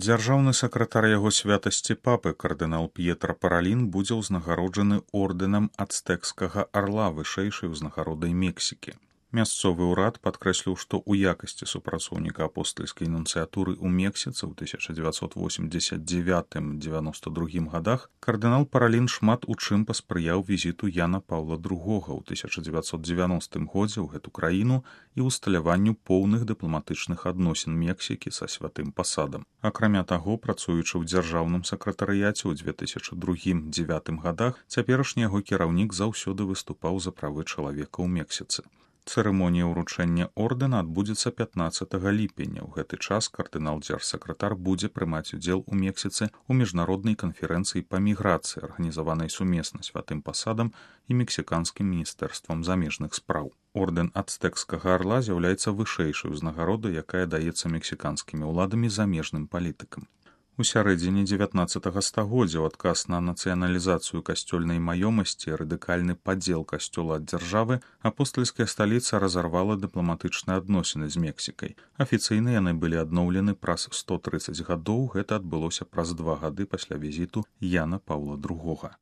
Дзяржаўны сакратар яго святасці папы кардынал П'етра Паралін будзе ўзнагароджаны ордэнам ацтэкскага арла вышэйшай узнагародай Мексікі. Мясцовы ўрад падкрэсліў, што ў якасці супрацоўніка апостальскай нунцыятуры ў Мексіцы ў 1989-92 гадах кардынал Паралін шмат у чым паспрыяў візіту Яна Паўла II ў 1990 годзе ў гэту краіну і ўсталяванню поўных дыпламатычных адносін Мексікі са святым пасадам. Акрамя таго, працуючы ў дзяржаўным сакратарыяце ў 2002-2009 гадах, цяперашні яго кіраўнік заўсёды выступаў за правы чалавека ў Мексіцы. Цырымонія ўручэння ордэна адбудзецца 15 ліпеня. У гэты час кардынал-дзяржсакратар будзе прымаць удзел у Мексіцы ў міжнароднай канферэнцыі па міграцыі, арганізаванай сумесна святым пасадам і мексіканскім міністэрствам замежных спраў. Ордэн ацтэкскага арла з'яўляецца вышэйшай узнагародай, якая даецца мексіканскімі ўладамі замежным палітыкам. У сярэдзіне 19 стагоддзя ў адказ на нацыяналізацыю касцёльнай маёмасці і радыкальны падзел касцёла ад дзяржавы апостальская сталіца разарвала дыпламатычныя адносіны з Мексікай. Афіцыйна яны былі адноўлены праз 130 гадоў, гэта адбылося праз 2 гады пасля візіту Яна Паўла II.